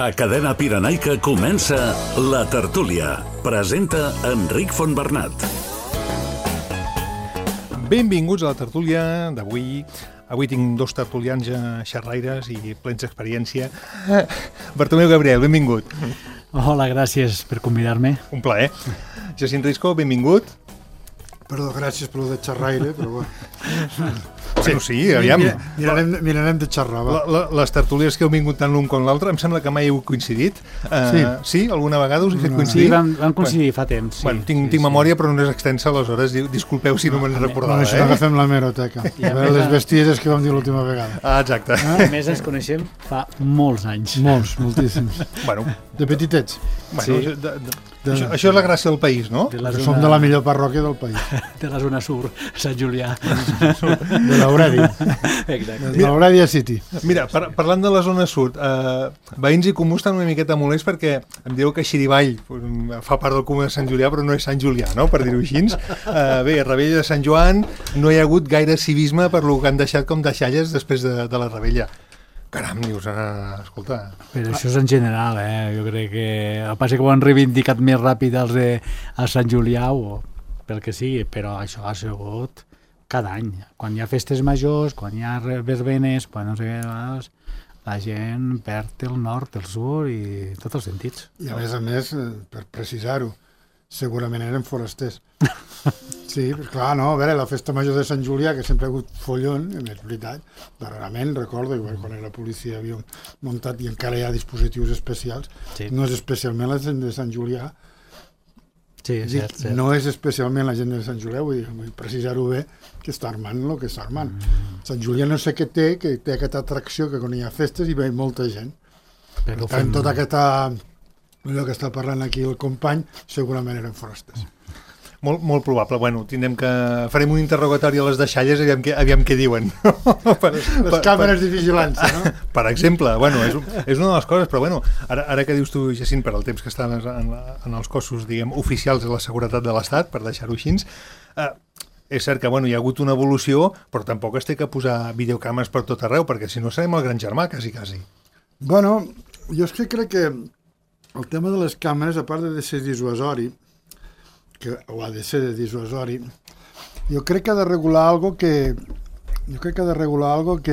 A Cadena Pirenaica comença La Tertúlia. Presenta Enric Fontbernat. Benvinguts a La Tertúlia d'avui. Avui tinc dos tertulians xerraires i plens d'experiència. Bartomeu Gabriel, benvingut. Hola, gràcies per convidar-me. Un plaer. Jacint Risco, benvingut. Perdó, gràcies per lo de xerraire, però bueno. Sí, aviam. Mirarem de xerrar, va. Les tertúlies que heu vingut tant l'un com l'altre, em sembla que mai heu coincidit. Sí? Alguna vegada us he fet coincidir? Sí, vam coincidir fa temps. Sí, bueno, tinc memòria, però no és extensa, aleshores disculpeu si no me'n recordava. Bueno, això agafem la meroteca. A veure les bestieses que vam dir l'última vegada. Exacte. A més, ens coneixem fa molts anys. Moltíssims. Bueno. De petitets. Bueno, això és la gràcia del país, no? Som de la millor parròquia del país. De la zona sur, Sant Julià. De l'Aurèdia. Exacte. De l'Aurèdia City. Mira, parlant de la zona sud, veïns i comuns estan una miqueta molets perquè em diu que Xirivall fa part del comú de Sant Julià, però no és Sant Julià, no?, per dir-ho així. Bé, a Rebella de Sant Joan no hi ha hagut gaire civisme per lo que han deixat com deixalles després de la Rebella. Caram, dius, escolta... Però això és en general, jo crec que... El que passa que ho han reivindicat més ràpid els de Sant Julià o pel que sigui, però això ha sigut cada any. Quan hi ha festes majors, quan hi ha verbenes, quan no sé què, la gent perd el nord, el sud i tots els sentits. I a més, per precisar-ho, segurament eren forasters. Sí, clar, no, a veure, la festa major de Sant Julià, que sempre ha hagut follon, és veritat, darrerament, recordo, quan la policia havia muntat i encara hi ha dispositius especials, sí. No és especialment la gent de Sant Julià, sí, cert. No és especialment la gent de Sant Julià, vull precisar-ho bé, que està armant el que està armant. Sant Julià no sé què té, que té aquesta atracció que quan hi ha festes hi ve molta gent. Per tant, tota aquesta... allò que està parlant aquí el company, segurament eren forasters. Molt probable. Bueno, farem un interrogatori a les deixalles, aviam què diuen. Les càmeres de vigilància, no? Per exemple, bueno, és una de les coses, però bueno, ara que dius tu, Jacint, per al temps que estan en els cossos, diguem, oficials de la seguretat de l'Estat, per deixar-ho així, és cert que bueno, hi ha hagut una evolució, però tampoc es té que posar videocàmeres per tot arreu, perquè si no serem el gran germà, quasi. Bueno, jo és que crec que el tema de les càmeres, a part de ser dissuasori, que ho ha de ser de dissuasori, jo crec que ha de regular algo que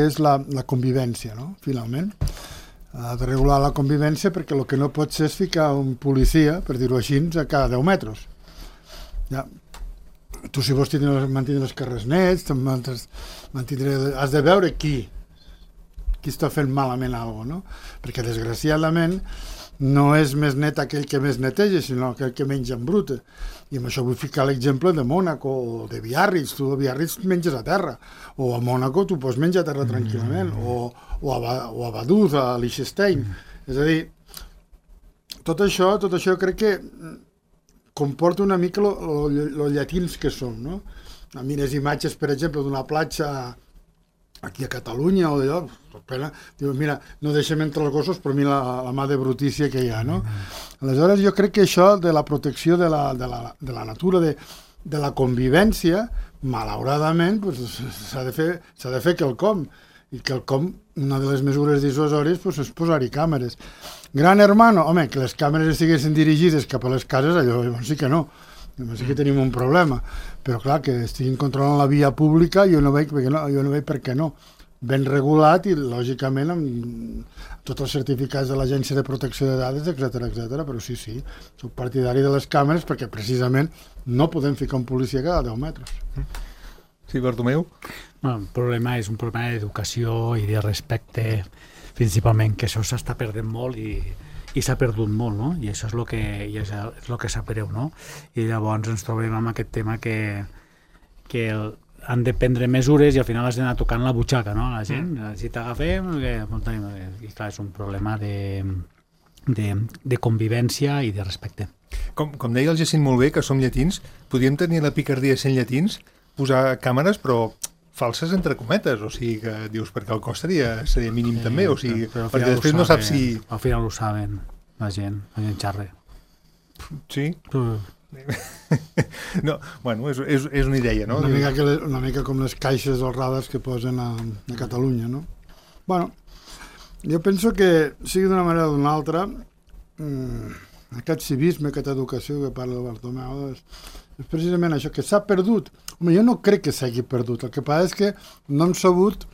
és la convivència, no? Finalment. Ha de regular la convivència perquè el que no pot ser és ficar un policia, per dir-ho així, a cada 10 metres. Ja. Tu, si vols mantenir els carrers nets, has de veure qui està fent malament alguna cosa, no? Perquè, desgraciadament, no és més net aquell que més neteja, sinó aquell que menja embruta. I amb això vull ficar l'exemple de Mònaco o de Biarritz. Tu a Biarritz menges a terra, o a Mònaco tu pots menjar a terra tranquil·lament, o a Vaduz, a Liechtenstein. És a dir, tot això crec que comporta una mica lo llatins que som, no? A mi les imatges, per exemple, d'una platja aquí a Catalunya o d'allò, diu, mira, no deixem entre els gossos, però mira la mà de brutícia que hi ha, no? Aleshores, jo crec que això de la protecció de la natura, de la convivència, malauradament, pues, s'ha de fer quelcom, i quelcom, una de les mesures dissuasòries, pues, és posar-hi càmeres. Gran hermano, home, que les càmeres estiguessin dirigides cap a les cases, allò sí que no. Sí que tenim un problema, però clar, que estiguin controlant la via pública jo no veig per què no. Ben regulat i lògicament amb tots els certificats de l'Agència de Protecció de Dades, etc. Però sí, soc partidari de les càmeres perquè precisament no podem ficar un policia cada 10 metres. Sí, Bartomeu? El problema és un problema d'educació i de respecte, principalment, que això s'està perdent molt i s'ha perdut molt, no? I això és el que sap greu, no? I llavors ens trobem amb aquest tema que han de prendre mesures i al final has d'anar tocant la butxaca, no? La gent, si t'agafem... I clar, és un problema de convivència i de respecte. Com deia el Jacint molt bé, que som llatins, podríem tenir la picardia sent llatins, posar càmeres, però falses entre cometes, o sigui que dius, perquè el cost seria mínim també, o sigui, perquè després no saps si... Al final ho saben, la gent xarra. Sí? No, bueno, és una idea, no? Una mica com les caixes dels radars que posen a Catalunya, no? Bueno, Jo penso que, sigui d'una manera o d'una altra, aquest civisme, aquesta educació que parla el Bartomeu, és precisament això, que s'ha perdut. Home, jo no crec que s'hagi perdut. El que passa és que no hem sabut,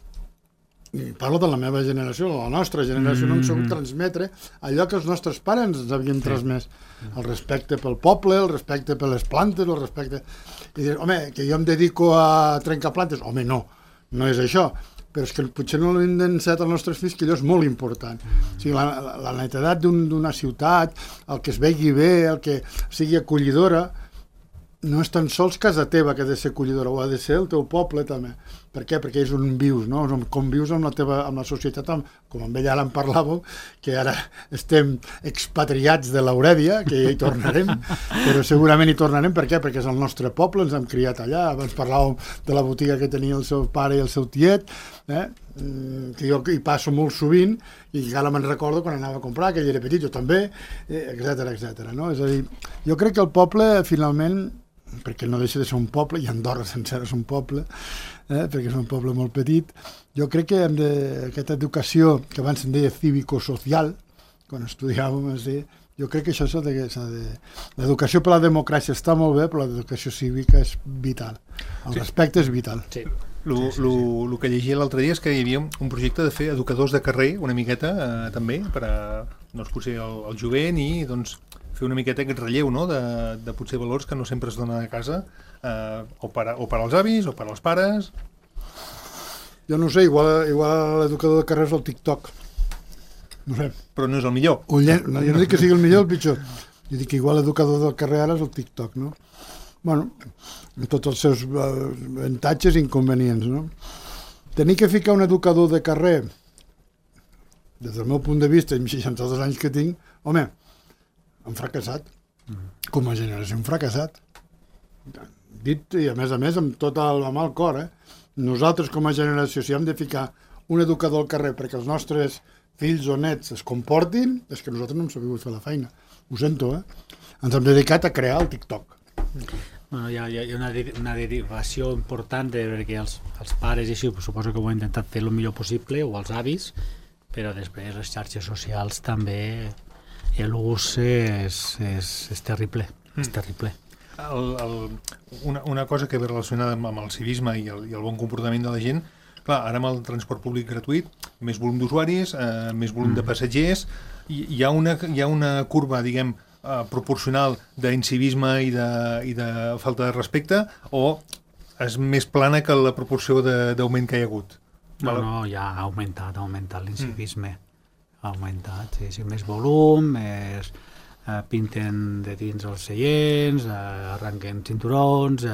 i parlo de la meva generació, de la nostra generació, no hem sabut transmetre allò que els nostres pares ens havien transmès. El respecte pel poble, el respecte per les plantes, el respecte... I dir, home, que jo em dedico a trencar plantes. Home, no és això. Però és que potser no l'hem d'ensenyar als nostres fills, que allò és molt important. O sigui, la netedat d'una ciutat, el que es vegi bé, el que sigui acollidora, no és tan sols casa teva que ha de ser acollidora, o ha de ser el teu poble també. Per què? Perquè és on vius, no? Com vius amb la societat, com amb ella ara en parlàvem, que ara estem expatriats de l'Aurèdia, que ja hi tornarem, però segurament hi tornarem. Per què? Perquè és el nostre poble, ens hem criat allà. Abans parlàvem de la botiga que tenia el seu pare i el seu tiet, que jo hi passo molt sovint, i ara me'n recordo quan anava a comprar, que ell era petit, jo també, etc. No? És a dir, jo crec que el poble, finalment, perquè no deixa de ser un poble, i Andorra sencera és un poble, perquè és un poble molt petit, jo crec que aquesta educació, que abans se'n deia cívico-social, quan estudiàvem, jo crec que això s'ha de... L'educació per la democràcia està molt bé, però l'educació cívica és vital. El respecte és vital. Sí. El que llegia l'altre dia és que hi havia un projecte de fer educadors de carrer, una miqueta, també, per a, doncs, potser el jovent i, doncs, fer una miqueta aquest relleu, no?, de potser valors que no sempre es donen a casa, o per als avis, o per als pares. Jo no sé, igual l'educador de carrer és el TikTok. No sé. Però no és el millor. Jo no dic que sigui el millor o el pitjor. Jo dic que igual l'educador del carrer ara és el TikTok, no? Bueno, amb tots els seus avantatges i inconvenients, no? Tenir que ficar un educador de carrer, des del meu punt de vista, amb 62 anys que tinc, home, hem fracassat. Com a generació hem fracassat. Dit, i a més, amb tot amb el cor, nosaltres com a generació, si hem de ficar un educador al carrer perquè els nostres fills o nets es comportin, és que nosaltres no hem sabut fer la feina. Ho sento, Ens hem dedicat a crear el TikTok. Bueno, hi ha una derivació important perquè els pares i així, suposo que ho han intentat fer el millor possible, o els avis, però després les xarxes socials també, l'ús és terrible, és terrible. Una cosa que ve relacionada amb el civisme i el bon comportament de la gent, clar, ara amb el transport públic gratuït, més volum d'usuaris, més volum de passatgers, hi ha una curva, diguem, proporcional d'incivisme i de falta de respecte, o és més plana que la proporció d'augment que hi ha hagut? No, ja ha augmentat l'incivisme. Ha augmentat, sí, més volum, pinten de dins els seients, arrenquen cinturons,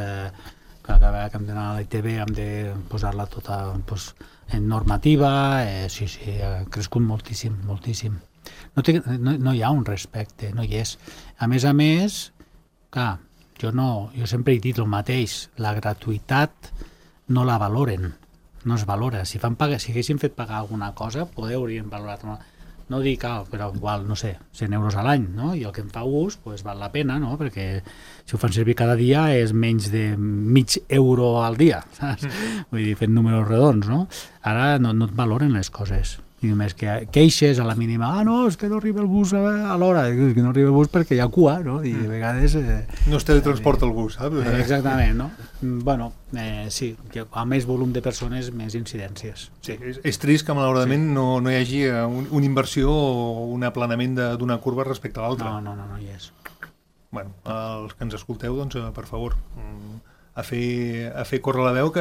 cada vegada que hem d'anar a la ITV hem de posar-la tota en normativa, sí, ha crescut moltíssim. No hi ha un respecte, no hi és. A més, clar, jo sempre he dit el mateix, la gratuïtat no la valoren, no es valora. Si haguessin fet pagar alguna cosa, haurien valorat. No dic, però igual, no sé, 100 euros a l'any, no? I el que em fa ús, val la pena, no? Perquè si ho fan servir cada dia és menys de mig euro al dia, saps? Vull dir, fent números redons, no? Ara no et valoren les coses. I només que queixes a la mínima, no, és que no arriba el bus a l'hora, és que no arriba el bus perquè hi ha cua, no? I de vegades... No es teletransporta el bus, saps? Exactament, no? Bueno, sí, que a més volum de persones, més incidències. Sí, és trist que malauradament no hi hagi una inversió o un aplanament d'una curva respecte a l'altra. No hi és. Bueno, els que ens escolteu, doncs, per favor, a fer córrer la veu que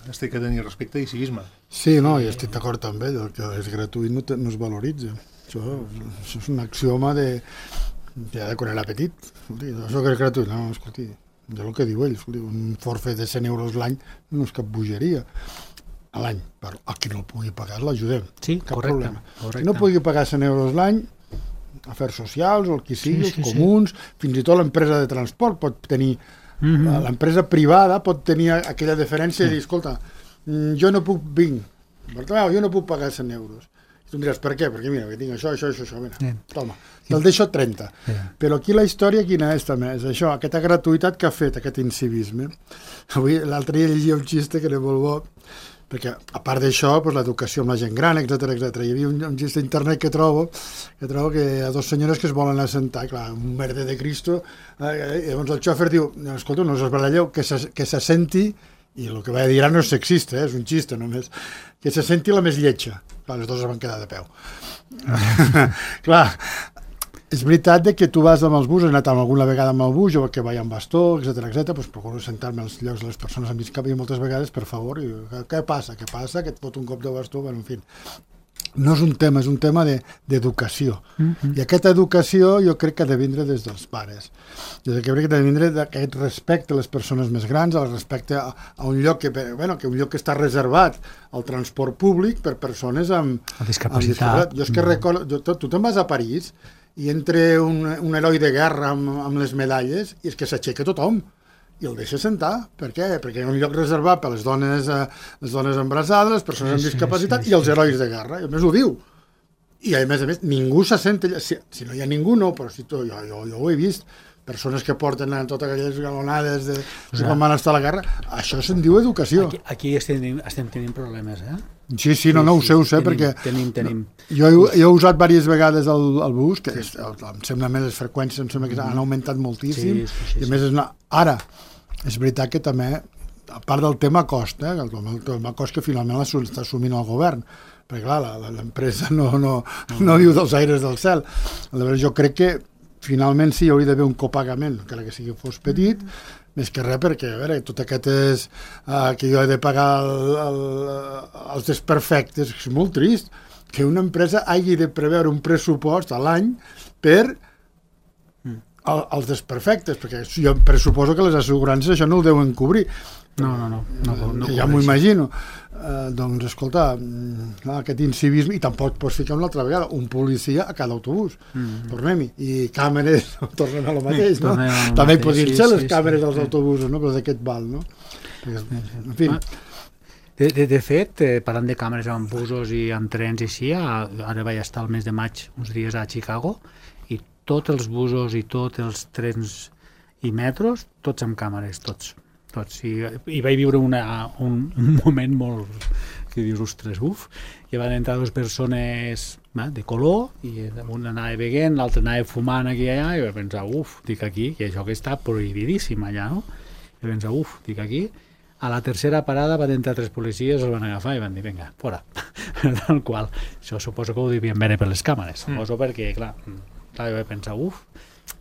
es té que tenir respecte i civisme. Sí, no, i estic d'acord amb ell, el que és gratuït no es valoritza. Això és un axioma de quan era petit. Escolti, això que és gratuït, no, escolti, és el que diu ell, escolti, un forfait de 100 euros l'any no és cap bogeria a l'any, però a qui no el pugui pagar l'ajudem, sí, cap correcte, problema. Qui no pugui pagar 100 euros l'any, afers socials, o el que sigui, els comuns, fins i tot l'empresa de transport pot tenir... L'empresa privada pot tenir aquella deferència i dir, escolta, jo no puc jo no puc pagar 100 euros. I tu em diràs, per què? Perquè mira, que tinc això, mira, toma, te'l deixo 30. Però aquí la història quina és també? És això, aquesta gratuïtat que ha fet, aquest incivisme. Avui, l'altre dia llegia un xiste que era molt bo, perquè a part d'això, l'educació amb la gent gran, etc. Hi havia un gest d'internet que trobo que hi ha dos senyores que es volen assentar, clar, un merder de Cristo, i llavors el xòfer diu, escolta, no us esbaralleu, que s'assenti, i el que vaig dir ara no és sexista, és un xiste només, que s'assenti la més lletja. Clar, les dues es van quedar de peu. Clar, és veritat que tu vas amb els busos, he anat alguna vegada amb el bus, jo que vaig amb bastó, etc, doncs procuro sentar-me als llocs de les persones amb discapacitat i moltes vegades, per favor, i, què passa? Que et fot un cop de bastó? Bueno, en fi, no és un tema, és un tema d'educació. I aquesta educació jo crec que ha de vindre des dels pares. Jo crec que ha de vindre d'aquest respecte a les persones més grans, al respecte a un lloc que un lloc que està reservat al transport públic per persones amb discapacitat. Jo és que recordo, tu te'n vas a París i entra un heroi de guerra amb les medalles i és que s'aixeca tothom i el deixa sentar. Per què? Perquè hi ha un lloc reservat per les dones embarassades, les persones amb discapacitat i els herois de guerra. I a més ho diu. I a més, ningú s'assenta allà. Si no hi ha ningú, no, però jo ho he vist. Persones que porten totes aquelles galonades de quan van estar a la guerra. Això se'n diu educació. Aquí estem tenint problemes, eh? Sí, no, ho sé, perquè tenim. Jo he usat diverses vegades el bus, que em sembla més, les freqüències em sembla que han augmentat moltíssim, i a més ara, és veritat que també, a part del tema cost, el tema cost que finalment l'està assumint el govern, perquè clar, l'empresa no viu dels aires del cel. Aleshores, jo crec que finalment sí, hi hauria d'haver un copagament, encara que sigui fos petit, més que res perquè, a veure, tot aquest és que jo he de pagar els desperfectes, és molt trist que una empresa hagi de preveure un pressupost a l'any per als desperfectes, perquè jo pressuposo que les assegurances això no ho deuen cobrir. No ja m'ho imagino. Doncs, escolta, aquest incivisme, i tampoc pots ficar una altra vegada un policia a cada autobús. Tornem-hi. I càmeres, tornem a lo mateix, no? També podrien ser les càmeres dels autobusos, no? Però d'aquest val, no? En fi. De fet, parlant de càmeres amb busos i amb trens i així, ara vaig estar el mes de maig uns dies a Chicago i tots els busos i tots els trens i metros, tots amb càmeres, tots. I vaig viure un moment molt que dius, ostres, i van entrar dues persones de color i un anava beguent, l'altre anava fumant aquí i allà i vaig pensar, dic aquí, i això que està prohibidíssim allà, no? I vaig pensar, dic aquí. A la tercera parada van entrar 3 policies, els van agafar i van dir, vinga, fora. Tal qual. Això suposo que ho devien veure per les càmeres, suposo perquè, clar, vaig pensar,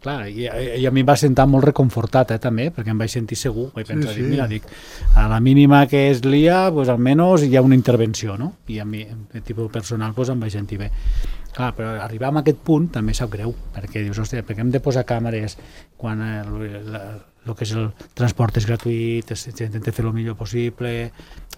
clar, i a mi em va sentar molt reconfortat, també, perquè em vaig sentir segur. Vaig pensar, mira, a la mínima que es lia, doncs almenys hi ha una intervenció, no? I a mi, el tipus personal, em vaig sentir bé. Clar, però arribar a aquest punt també sap greu, perquè dius, hòstia, perquè hem de posar càmeres quan el que és el transport és gratuït, s'intenta fer el millor possible,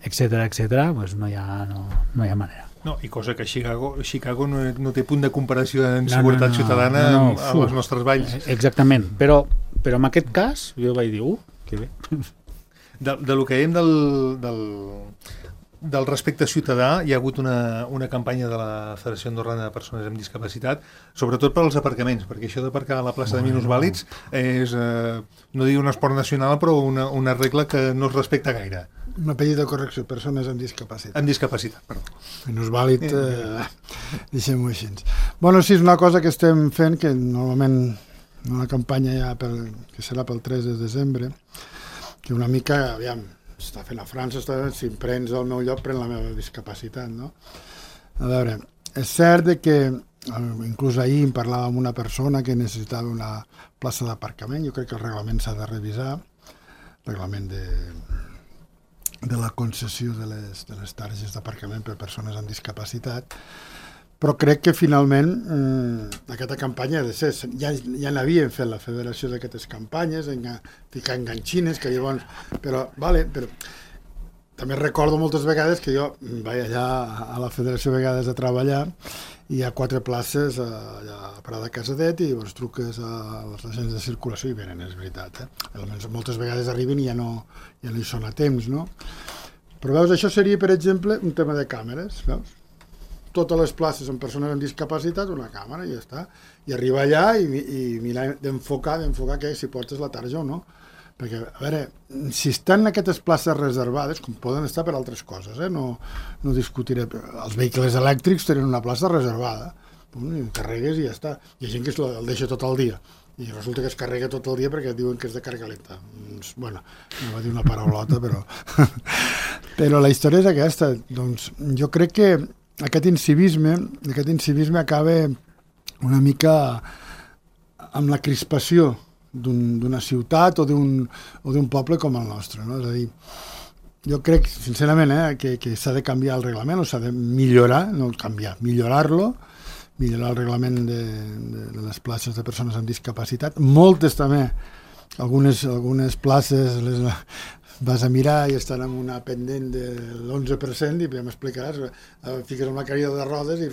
etc., doncs no hi ha manera. No, i cosa que Chicago no té punt de comparació en seguretat ciutadana amb els nostres valls. Exactament, però en aquest cas jo vaig dir, que bé. Del que dèiem del respecte ciutadà, hi ha hagut una campanya de la Federació Andorrana de Persones amb Discapacitat, sobretot per als aparcaments, perquè això d'aparcar a la plaça de minusvàlids és, no dic un esport nacional, però una regla que no es respecta gaire. Una petita correcció, persones amb discapacitat. Amb discapacitat, perdó. Minusvàlid, deixem-ho així. Bueno, sí, és una cosa que estem fent, que normalment una campanya ja que serà pel 3 de desembre, que una mica, aviam, està fent a França, si em prens al meu lloc, pren la meva discapacitat, no? A veure, és cert que inclús ahir em parlava amb una persona que necessitava una plaça d'aparcament, jo crec que el reglament s'ha de revisar, el reglament de la concessió de les targes d'aparcament per persones amb discapacitat, però crec que finalment aquesta campanya ha de ser, ja n'havien fet la federació d'aquestes campanyes, ficar enganxines, que llavors, però també recordo moltes vegades que jo vaig allà a la federació vegades a treballar i hi ha 4 places allà a Parada Casadet i llavors truques als agents de circulació i venen, és veritat. Almenys moltes vegades arriben i ja no hi són a temps, no? Però veus, això seria, per exemple, un tema de càmeres, veus? Totes les places amb persones amb discapacitat, una càmera i ja està. I arribar allà i mirar d'enfocar que si portes la tarja o no. Perquè, a veure, si estan aquestes places reservades, com poden estar per altres coses, no discutiré. Els vehicles elèctrics tenen una plaça reservada, i carregues i ja està. Hi ha gent que el deixa tot el dia, i resulta que es carrega tot el dia perquè diuen que és de càrrega lenta. Bueno, no va dir una paraulota, però... però la història és aquesta. Doncs jo crec que aquest incivisme acaba una mica amb la crispació d'una ciutat o d'un poble com el nostre, no? És a dir, jo crec, sincerament, que s'ha de canviar el reglament, o s'ha de millorar, no canviar, millorar-lo, millorar el reglament de les places de persones amb discapacitat. Moltes també, algunes places vas a mirar i estan amb una pendent de l'11% i ja m'explicaràs, fiques amb la cadira de rodes i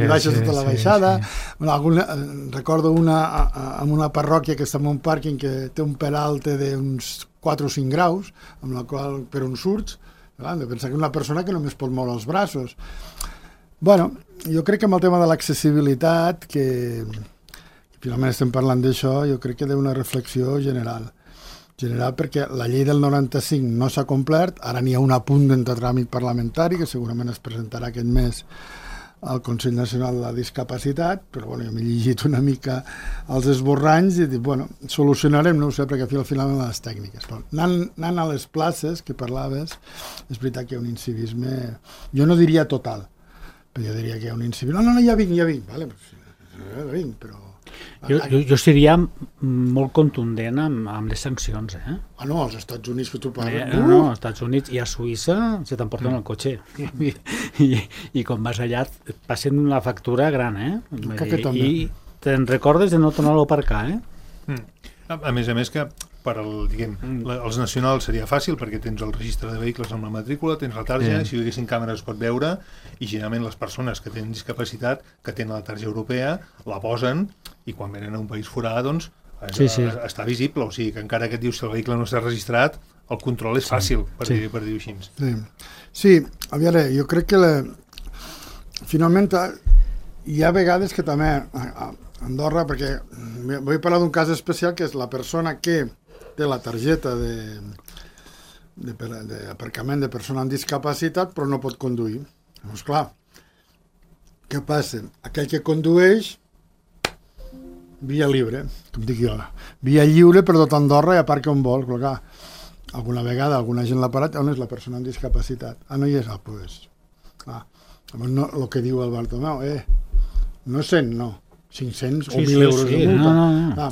baixes tota la baixada. Bueno, recordo en una parròquia que està en un pàrquing que té un peralte d'uns 4 o 5 graus, amb la qual per on surts, hem de pensar que una persona que només pot moure els braços. Bueno, jo crec que amb el tema de l'accessibilitat, que finalment estem parlant d'això, jo crec que hi ha una reflexió general perquè la llei del 95 no s'ha complert, ara n'hi ha un apunt de tràmit parlamentari que segurament es presentarà aquest mes al Consell Nacional de la Discapacitat, però bueno, jo m'he llegit una mica els esborranys i dic, bueno, solucionarem, no ho sé, perquè al final les tècniques. Però anant a les places que parlaves, és veritat que hi ha un incivisme, jo no diria total, però jo diria que hi ha un incivisme. No, ja vinc, vale, ja vinc, però... Jo seria molt contundent amb les sancions, no, als Estats Units que tu parles... No, als Estats Units i a Suïssa se t'emporten el cotxe. I quan vas allà et passen una factura gran, I te'n recordes de no tornar-lo a aparcar, A més que els nacionals seria fàcil perquè tens el registre de vehicles amb la matrícula, tens la tarja, si hi haguessin càmeres es pot veure, i generalment les persones que tenen discapacitat, que tenen la tarja europea, la posen i quan venen a un país forà, doncs, està visible, o sigui que encara que et dius que el vehicle no està registrat, el control és fàcil, per dir-ho així. Sí, a veure, jo crec que finalment hi ha vegades que també a Andorra, perquè vull parlar d'un cas especial que és la persona que té la targeta d'aparcament de persona amb discapacitat però no pot conduir. Doncs clar, què passa? Aquell que condueix via libre, com dic jo, via lliure per tot Andorra i aparca on vol, però clar, alguna vegada alguna gent l'ha parat, on és la persona amb discapacitat? No hi és, pues, clar, no, el que diu el Bartomeu, no 100, no, 500 o 1.000 euros de multa. No.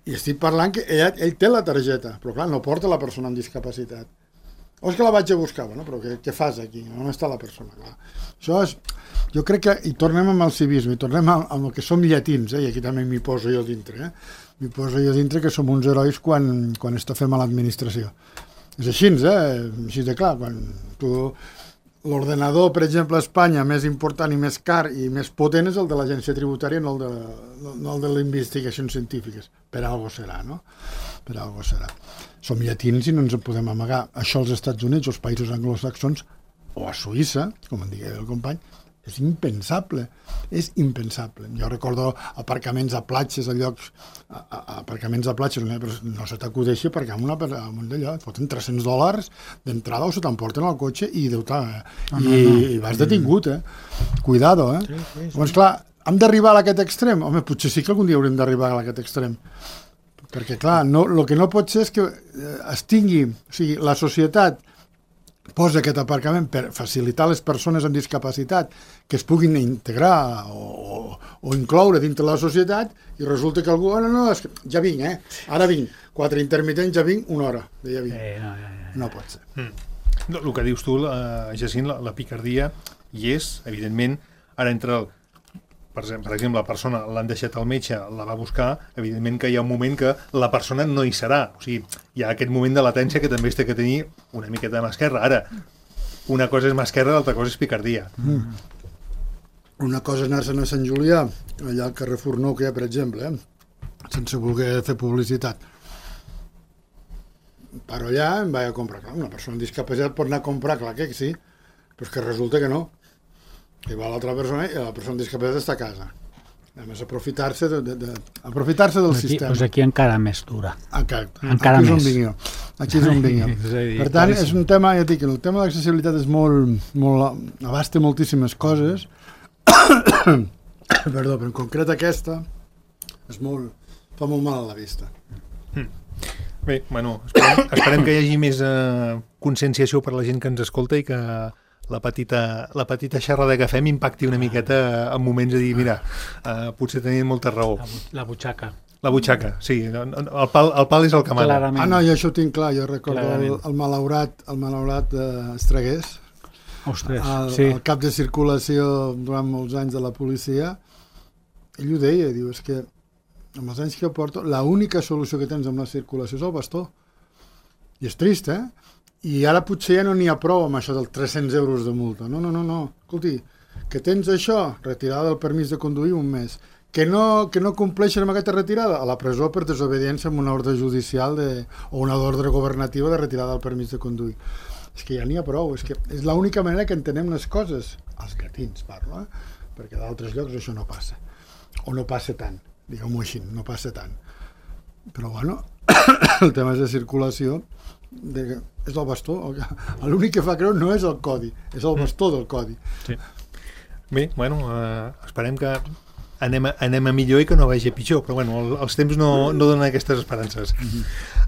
I estic parlant que ell té la targeta, però clar, no porta la persona amb discapacitat. O és que la vaig a buscar, bueno, però què fas aquí? On està la persona? Clar. Això és, jo crec que, i tornem amb el civisme, i tornem amb el que som llatins, i aquí també m'hi poso jo dintre, m'hi poso jo dintre que som uns herois quan estafem a l'administració. És així, així de clar, quan tu... L'ordenador, per exemple, a Espanya, més important i més car i més potent és el de l'agència tributària, no el de les investigacions científiques. Per algo serà, no? Per algo serà. Som llatins i no ens en podem amagar. Això als Estats Units, als països anglosaxons, o a Suïssa, com en digui el company, és impensable. És impensable. Jo recordo aparcaments a platges, a llocs... aparcaments a platges, no se t'acudeixi aparcar amb un d'allò. Et foten $300 d'entrada o se t'emporten al cotxe i i vas detingut, Cuidado, Sí. Doncs clar, hem d'arribar a aquest extrem? Home, potser sí que algun dia haurem d'arribar a aquest extrem. Perquè clar, el que no pot ser és que es tingui... O sigui, la societat posa aquest aparcament per facilitar a les persones amb discapacitat que es puguin integrar o incloure dintre la societat i resulta que algú, és que ja vinc, ara vinc, 4 intermitents, ja vinc, 1 hora, ja vinc. No pot ser. El que dius tu, Jacint, la picardia hi és, evidentment, ara entre per exemple, la persona l'han deixat al metge, la va buscar, evidentment que hi ha un moment que la persona no hi serà. O sigui, hi ha aquest moment de latència que també es té que tenir una miqueta de mà esquerra. Ara, una cosa és mà esquerra, l'altra cosa és picardia. Una cosa és anar-se'n a Sant Julià, allà al carrer Fornou que hi ha, per exemple, sense voler fer publicitat. Paro allà, em vaig a comprar. Clar, una persona amb discapacitat pot anar a comprar, clar que sí, però és que resulta que no. I va l'altra persona i la persona amb discapacitat està a casa. A més, aprofitar-se del sistema. Doncs aquí encara més dura. Encara aquí més. Aquí és on vinguem. Per tant, és un tema, ja dic, el tema de l'accessibilitat és abasta moltíssimes coses. Perdó, però en concret aquesta fa molt mal a la vista. Bé, bueno, esperem que hi hagi més conscienciació per la gent que ens escolta i que la petita xerrada que fem impacti una miqueta en moments de dir, mira, potser tenien molta raó. La butxaca. La butxaca, sí. El pal és el que mana. Clarament. No, jo això ho tinc clar. Jo recordo el malaurat Estragués, Ostres, el cap de circulació durant molts anys de la policia. Ell ho deia, diu, és que amb els anys que porto, l'única solució que tens amb la circulació és el bastó. I és trist, I ara potser ja no n'hi ha prou amb això dels 300 euros de multa. No. Escolti, que tens això, retirada del permís de conduir un mes. Que no compleixen amb aquesta retirada? A la presó per desobediència amb una ordre judicial o una ordre governativa de retirada del permís de conduir. És que ja n'hi ha prou. És que és l'única manera que entenem les coses. Els llatins, parlo, perquè d'altres llocs això no passa. O no passa tant. Diguem-ho així, no passa tant. Però, bueno, el tema de circulació és el bastó. L'únic que fa creure no és el codi, és el bastó del codi. Sí. Bé, bueno, esperem que anem a millor i que no vagi a pitjor, però bueno, els temps no donen aquestes esperances.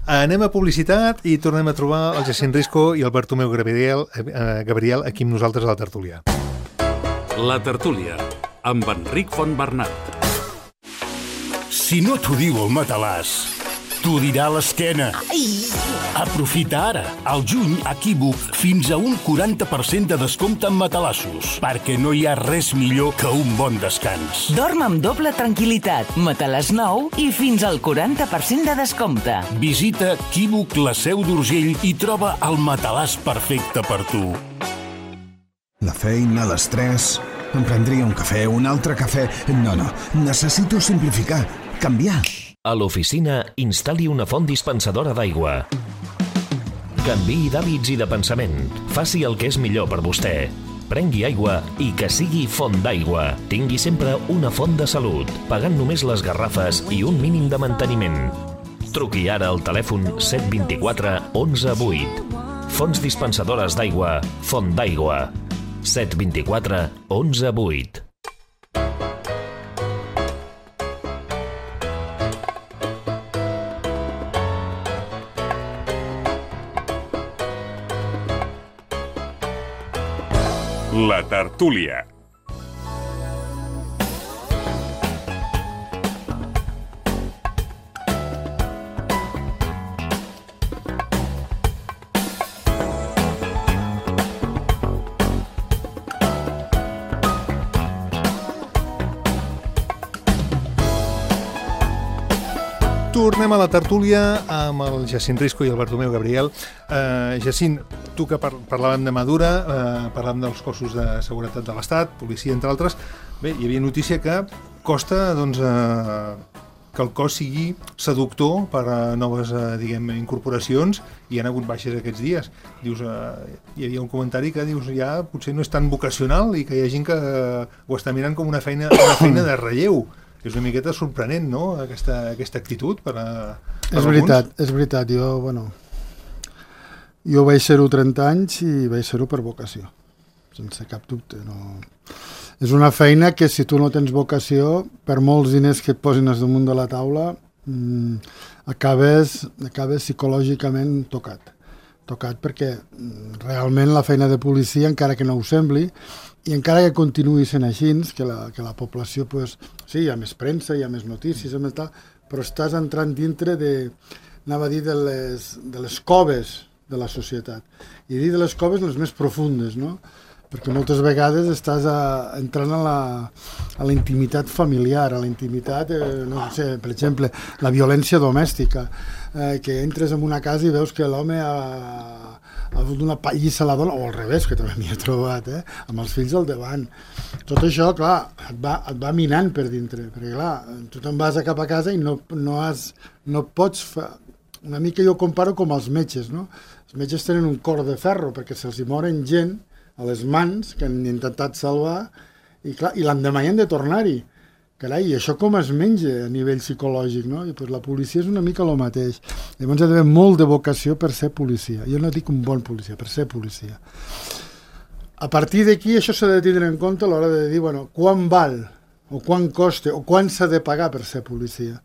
Anem a publicitat i tornem a trobar el Jacint Risco i el Bartomeu Gabriel aquí amb nosaltres a la tertúlia. La tertúlia, amb Enric Fontbernat. Si no t'ho diu el matalàs, t'ho dirà l'esquena. Aprofita ara, al juny, a Equívoc, fins a un 40% de descompte en matalassos, perquè no hi ha res millor que un bon descans. Dorm amb doble tranquil·litat, matalàs nou i fins al 40% de descompte. Visita Equívoc, la Seu d'Urgell i troba el matalàs perfecte per tu. La feina, l'estrès... Em prendria un cafè, un altre cafè... No, necessito simplificar, canviar. A l'oficina, instal·li una font dispensadora d'aigua. Canviï d'hàbits i de pensament. Faci el que és millor per vostè. Prengui aigua i que sigui font d'aigua. Tingui sempre una font de salut, pagant només les garrafes i un mínim de manteniment. Truqui ara al telèfon 724 11 8. Fonts dispensadores d'aigua, Font d'Aigua. 724 11 8. La tertúlia. Tornem a la tertúlia amb el Jacint Risco i el Bartomeu Gabriel. Jacint, tu que parlàvem de Madura, parlàvem dels cossos de seguretat de l'Estat, policia, entre altres. Bé, hi havia notícia que costa, doncs, que el cos sigui seductor per a noves, incorporacions, i han hagut baixes aquests dies. Dius, hi havia un comentari que dius, ja potser no és tan vocacional i que hi ha gent que ho està mirant com una feina de relleu. És una miqueta sorprenent, no?, aquesta actitud per és veritat. Jo vaig ser-ho 30 anys i vaig ser-ho per vocació, sense cap dubte. No. És una feina que, si tu no tens vocació, per molts diners que et posin damunt de la taula, acabes psicològicament tocat perquè realment la feina de policia, encara que no ho sembli, i encara que continuï sent així, que la població, sí, hi ha més premsa, hi ha més notícies, però estàs entrant dintre de les coves de la societat. I dir de les coves les més profundes, no? Perquè moltes vegades estàs entrant a la intimitat familiar, a la intimitat, per exemple, la violència domèstica, que entres en una casa i veus que l'home ha fot una pallissa a la dona, o al revés, que també m'hi he trobat, amb els fills al davant. Tot això, clar, et va minant per dintre, perquè, clar, tu te'n vas cap a casa i no pots fer... Una mica jo comparo com els metges, no? Els metges tenen un cor de ferro, perquè se'ls hi moren gent a les mans que han intentat salvar, i clar, i l'endemà hi han de tornar-hi. Carai, i això com es menja a nivell psicològic, no? I pues la policia és una mica el mateix. Llavors hi ha d'haver molt de vocació per ser policia. Jo no dic un bon policia, per ser policia. A partir d'aquí això s'ha de tindre en compte a l'hora de dir, bueno, quan val, o quan costa, o quan s'ha de pagar per ser policia.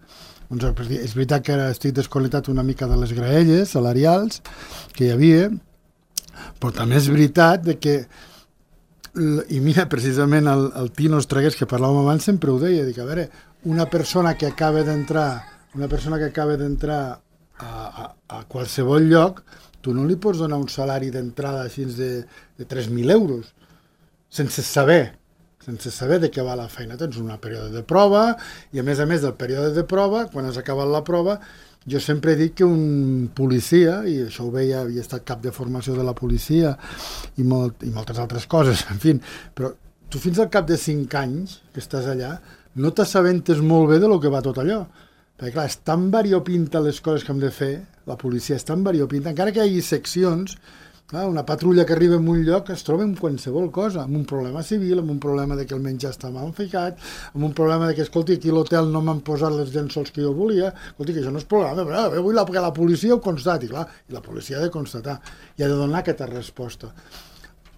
Doncs és veritat que ara estic desconnectat una mica de les graelles salarials que hi havia, però també és veritat de que, i mira, precisament el Tino Estregués, que parlàvem abans, sempre ho deia, dic, a veure, una persona que acaba d'entrar a qualsevol lloc, tu no li pots donar un salari d'entrada fins de 3.000 euros, sense saber de què va la feina. Tens un període de prova, i a més del període de prova, quan has acabat la prova, jo sempre he dit que un policia, i això ho veia, havia estat cap de formació de la policia i moltes altres coses, en fi, però tu fins al cap de 5 anys que estàs allà no t'assabentes molt bé de lo que va tot allò. Perquè clar, és tan variopinta les coses que hem de fer, la policia és tan variopinta, encara que hi hagi seccions. Clar, una patrulla que arriba en un lloc es troba amb qualsevol cosa, amb un problema civil, amb un problema de que el menjar està mal ficat, amb un problema de que, escolti, aquí a l'hotel no m'han posat les llençols que jo volia, escolti, que això no és problema, però vull que la policia ho constati, clar, i la policia ha de constatar, i ha de donar aquesta resposta.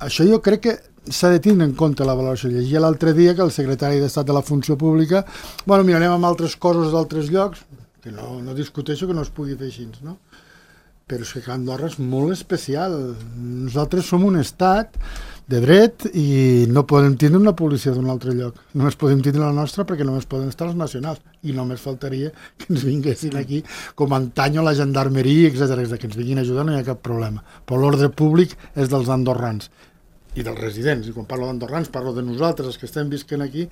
Això jo crec que s'ha de tindre en compte la valoració. Llegia l'altre dia que el secretari d'Estat de la Funció Pública, bueno, mirarem amb altres coses d'altres llocs, que no discuteixo que no es pugui fer així, no? Però és que Andorra és molt especial. Nosaltres som un estat de dret i no podem tindre una policia d'un altre lloc. Només podem tindre la nostra perquè només poden estar els nacionals. I només faltaria que ens vinguessin aquí com antany la gendarmeria, etc. Que ens vinguin a ajudar, no hi ha cap problema. Però l'ordre públic és dels andorrans i dels residents. I quan parlo d'andorrans parlo de nosaltres, els que estem visquent aquí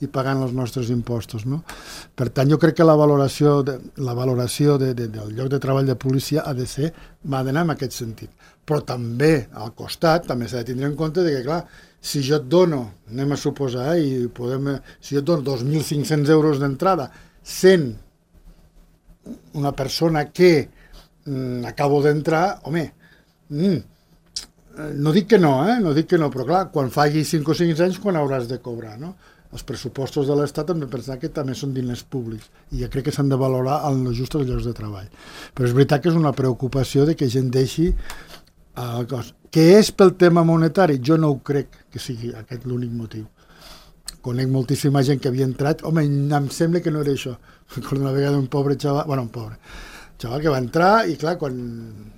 i pagant els nostres impostos, no? Per tant, jo crec que la valoració del lloc de treball de policia va d'anar en aquest sentit. Però també, al costat, també s'ha de tindre en compte que, clar, si jo et dono, anem a suposar, si jo et dono 2.500 euros d'entrada, sent una persona que acabo d'entrar, home, no dic que no, però clar, quan faci 5 o 6 anys, quan hauràs de cobrar, no? Els pressupostos de l'Estat hem de pensar que també són diners públics i jo crec que s'han de valorar en els justos llocs de treball. Però és veritat que és una preocupació de que gent deixi el cos. Que és pel tema monetari? Jo no ho crec que sigui aquest l'únic motiu. Conec moltíssima gent que havia entrat, home, em sembla que no era això. Recordo una vegada un xaval que va entrar i clar, quan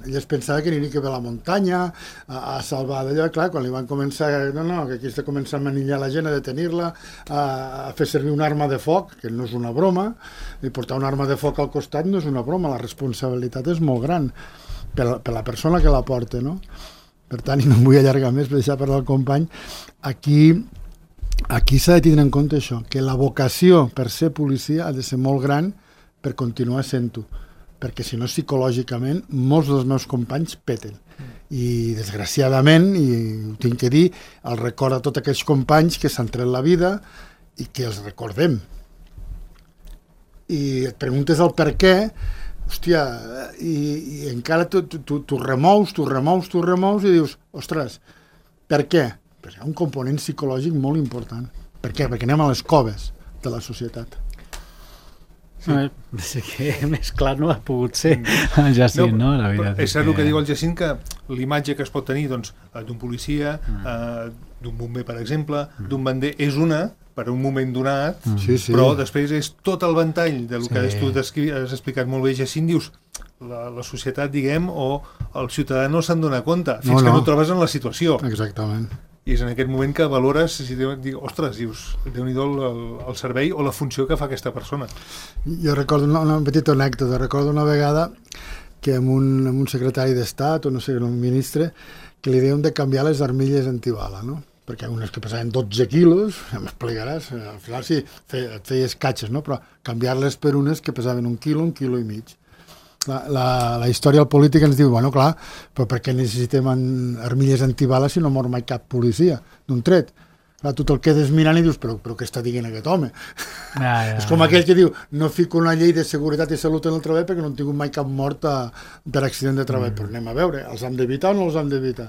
ell es pensava que aniria a la muntanya a salvar d'allò, clar, quan li van començar que aquí està començant a manillar la gent, a detenir-la, a fer servir una arma de foc, que no és una broma, i portar una arma de foc al costat no és una broma, la responsabilitat és molt gran per la persona que la porta, no? Per tant, i no em vull allargar més per deixar parlar el company, aquí s'ha de tindre en compte això, que la vocació per ser policia ha de ser molt gran per continuar sent-ho, perquè si no psicològicament molts dels meus companys peten i desgraciadament, i ho tinc que dir, el record a tots aquells companys que s'han tret la vida i que els recordem i et preguntes el per què, hòstia, i encara tu remous i dius, ostres, per què? Perquè hi ha un component psicològic molt important. Per què? Perquè anem a les coves de la societat. Sí, que més clar no ha pogut ser el Jacint, no? La veritat és cert el que diu el Jacint, que l'imatge que es pot tenir d'un policia, d'un bomber, per exemple, d'un bander, és una per un moment donat, però després és tot el ventall del que tu has explicat molt bé, Jacint, dius, la societat, diguem, o el ciutadà no se'n dona compte, fins que no trobes en la situació. Exactament. I és en aquest moment que valores, ostres, dius, Déu-n'hi-do el servei o la funció que fa aquesta persona. Jo recordo una petita anècdota, recordo una vegada que amb un secretari d'Estat, o no sé, un ministre, que li deien de canviar les armilles antibala, no? Perquè unes que pesaven 12 quilos, ja m'explicaràs, al final sí, et feies catxes, no? Però canviar-les per unes que pesaven 1 quilo i mig. La història política ens diu, bueno, clar, però per què necessitem armilles antibales si no mor mai cap policia d'un tret? Clar, tu te'l quedes mirant i dius, però què està dient aquest home? És com aquell que diu, no fico una llei de seguretat i salut en el treball perquè no han tingut mai cap mort per accident de treball. Però anem a veure, els hem d'evitar o no els hem d'evitar?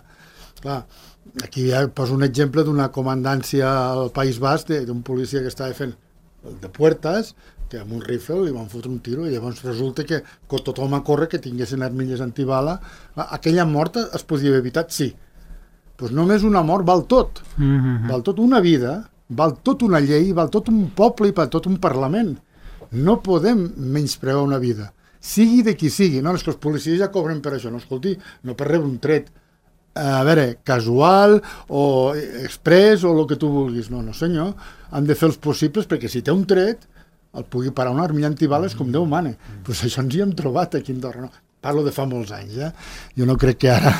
Clar, aquí ja poso un exemple d'una comandància al País Basc d'un policia que estava fent el de Puertas, que amb un rifle li van fotre un tiro i llavors resulta que tothom a córrer que tinguessin armilles antibala. Aquella mort es podia haver evitat, sí. Doncs només una mort val tot. Val tot una vida, val tot una llei, val tot un poble i val tot un parlament. No podem menysprear una vida. Sigui de qui sigui. No, és que els policies ja cobren per això. No, escolti, no per rebre un tret. A veure, casual o express o el que tu vulguis. No, senyor. Han de fer els possibles perquè si té un tret el pugui parar una armilla antibales com Déu mane. Pues això ens hi hem trobat aquí a Andorra. No? Parlo de fa molts anys. Jo no crec que ara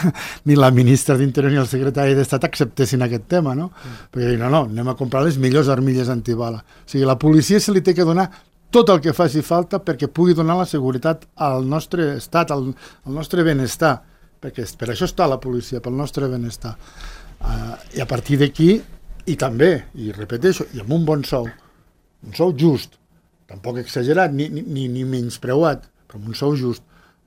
ni la ministra d'Interior ni el secretari d'Estat acceptessin aquest tema, no? Perquè no, anem a comprar les millors armilles antibala. O sigui, la policia se li té que donar tot el que faci falta perquè pugui donar la seguretat al nostre estat, al nostre benestar, perquè per això està la policia, pel nostre benestar. I a partir d'aquí, i també, i repeteixo, i amb un bon sou just, tampoc exagerat ni menyspreuat, però amb un sou just,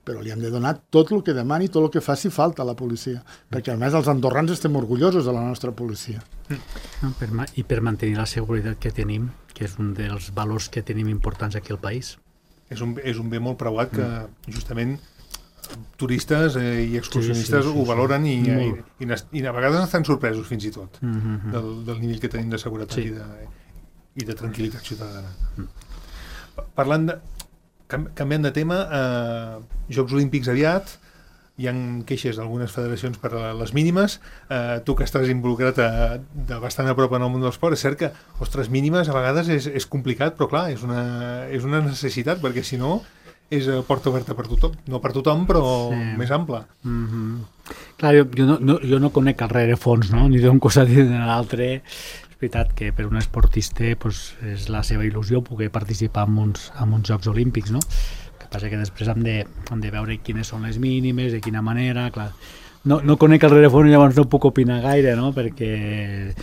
però li hem de donar tot el que demani, tot el que faci falta a la policia, perquè a més els andorrans estem orgullosos de la nostra policia. I per mantenir la seguretat que tenim, que és un dels valors que tenim importants aquí al país. És un bé molt preuat que justament turistes i excursionistes ho valoren i a vegades estan sorpresos fins i tot del nivell que tenim de seguretat i de tranquil·litat ciutadana. Parlant de... Canviant de tema, Jocs Olímpics aviat, hi ha queixes d'algunes federacions per a les mínimes. Tu que estàs involucrat de bastant a prop en el món de l'esport, és cert que, ostres, mínimes a vegades és complicat, però clar, és una necessitat, perquè si no és porta oberta per tothom. No per tothom, però més ampla. Clar, jo no conec el rerefons, no? Ni d'un costat ni de l'altre. És veritat que per un esportista és la seva il·lusió poder participar en uns Jocs Olímpics, no? El que passa que després hem de veure quines són les mínimes, de quina manera, clar. No conec el rerefons i llavors no puc opinar gaire, no? Perquè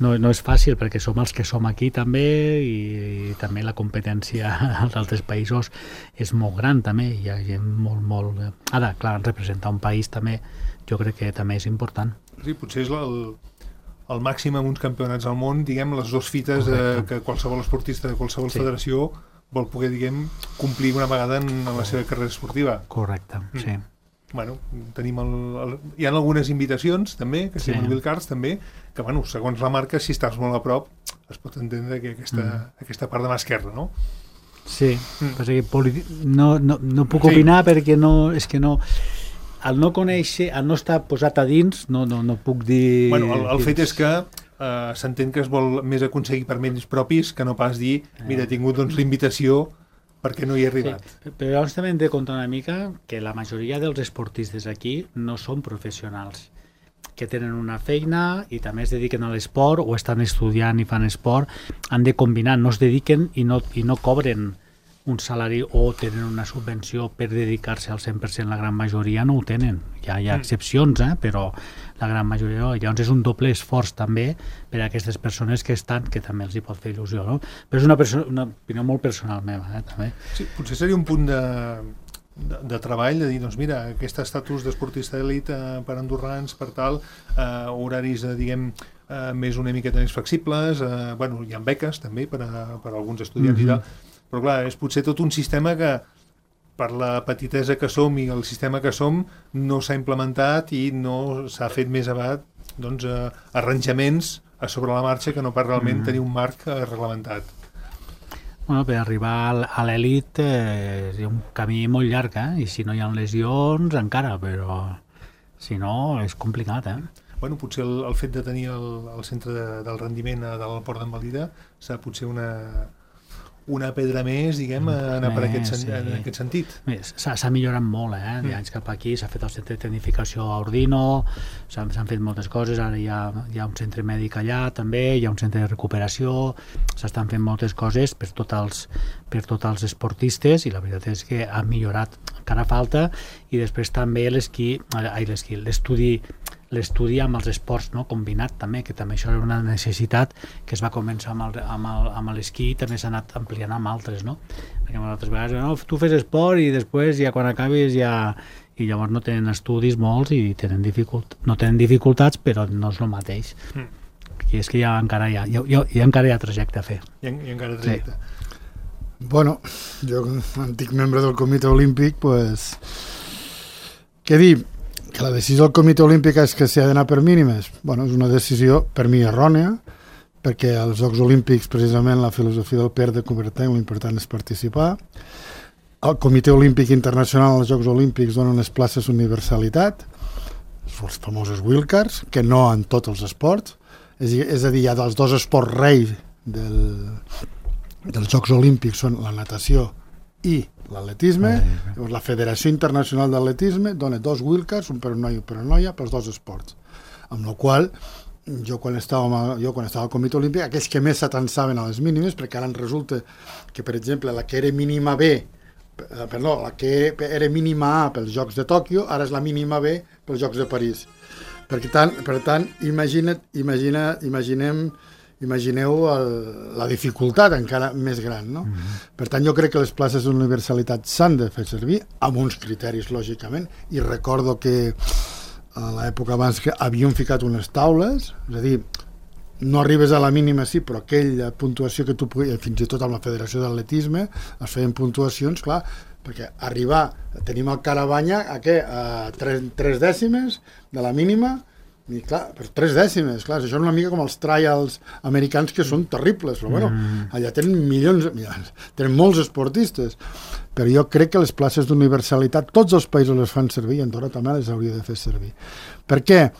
no és fàcil, perquè som els que som aquí també i també la competència als altres països és molt gran també, hi ha gent molt... Ara, clar, representar un país també jo crec que també és important. Sí, potser és el màxim en uns campionats al món, diguem, les dues fites que qualsevol esportista de qualsevol federació vol poder, diguem, complir una vegada en la seva carrera esportiva. Correcte, sí. Bueno, tenim hi ha algunes invitacions també, que sí, Mobile Cards també, que bueno, segons la marca, si estàs molt a prop es pot entendre que aquesta part de mà esquerra, no? Sí, perquè no puc opinar perquè és que no, al no conèixer, al no estar posat a dins, no puc dir... Bueno, el fet és que s'entén que es vol més aconseguir per mèrits propis que no pas dir, mira, he tingut doncs l'invitació perquè no hi he arribat. Sí, però llavors també hem de comptar una mica que la majoria dels esportistes aquí no són professionals, que tenen una feina i també es dediquen a l'esport o estan estudiant i fan esport, han de combinar, no es dediquen i no cobren un salari o tenen una subvenció per dedicar-se al 100%, la gran majoria no ho tenen. Hi ha excepcions, però la gran majoria no. Llavors és un doble esforç també per a aquestes persones que estan, que també els hi pot fer il·lusió, no? Però és una opinió molt personal meva, també. Sí, potser seria un punt de treball, de dir, doncs mira, aquest estatus d'esportista d'elit per andorrans, per tal, horaris, diguem, més una miqueta més flexibles, bueno, hi ha beques també per a alguns estudiants i tal, però clar, és potser tot un sistema que per la petitesa que som i el sistema que som no s'ha implementat i no s'ha fet més aviat doncs, arranjaments a sobre la marxa que no per realment tenir un marc reglamentat. Bueno, per arribar a l'elit és un camí molt llarg, i si no hi ha lesions encara, però si no és complicat, Bueno, potser el fet de tenir el centre del rendiment de l'Alport d'en Valira serà potser una pedra més, diguem, anar per en aquest sentit. S'ha millorat molt, d'anys cap aquí, s'ha fet el centre de tecnificació a Ordino, s'han fet moltes coses, ara hi ha un centre mèdic allà també, hi ha un centre de recuperació, s'estan fent moltes coses per tots els esportistes i la veritat és que ha millorat, encara falta, i després també l'estudi amb els esports combinat també, que també això era una necessitat que es va començar amb l'esquí i també s'ha anat ampliant amb altres, perquè moltes vegades tu fes esport i després ja quan acabis i llavors no tenen estudis molts i no tenen dificultats, però no és el mateix. I és que encara hi ha trajecte a fer. I encara trajecte. Bueno, jo, antic membre del Comitè Olímpic, pues, què dir? Que la decisió del Comitè Olímpic és que s'ha d'anar per mínimes. Bueno, és una decisió, per mi, errònia, perquè als Jocs Olímpics, precisament, la filosofia del PER de Coubertin, l'important és participar. El Comitè Olímpic Internacional als Jocs Olímpics dona unes places universalitat, els famosos wildcards, que no en tots els esports. És a dir, hi ha dels dos esports rei dels Jocs Olímpics són la natació i l'atletisme. La Federació Internacional d'Atletisme dona 2 wildcards, un per un noi i un per una noia, pels 2 esports. Amb la qual jo quan estava al Comitè Olímpic, aquells que més s'atansaven a les mínimes, perquè ara resulta que, per exemple, la que era mínima B, la que era mínima A pels Jocs de Tòquio, ara és la mínima B pels Jocs de París. Per tant, imagineu la dificultat encara més gran, no? Per tant, jo crec que les places d'universalitat s'han de fer servir amb uns criteris, lògicament, i recordo que a l'època abans que havíem ficat unes taules, és a dir, no arribes a la mínima, sí, però aquella puntuació que tu podies, fins i tot amb la Federació d'Atletisme, es feien puntuacions, clar, perquè tenim el Carabanya a 3 dècimes de la mínima, i clar, per 3 dècimes, clar, això és una mica com els trials americans que són terribles, però bueno, allà tenen tenen molts esportistes, però jo crec que les places d'universalitat tots els països les fan servir i Andorra també les hauria de fer servir. Per què?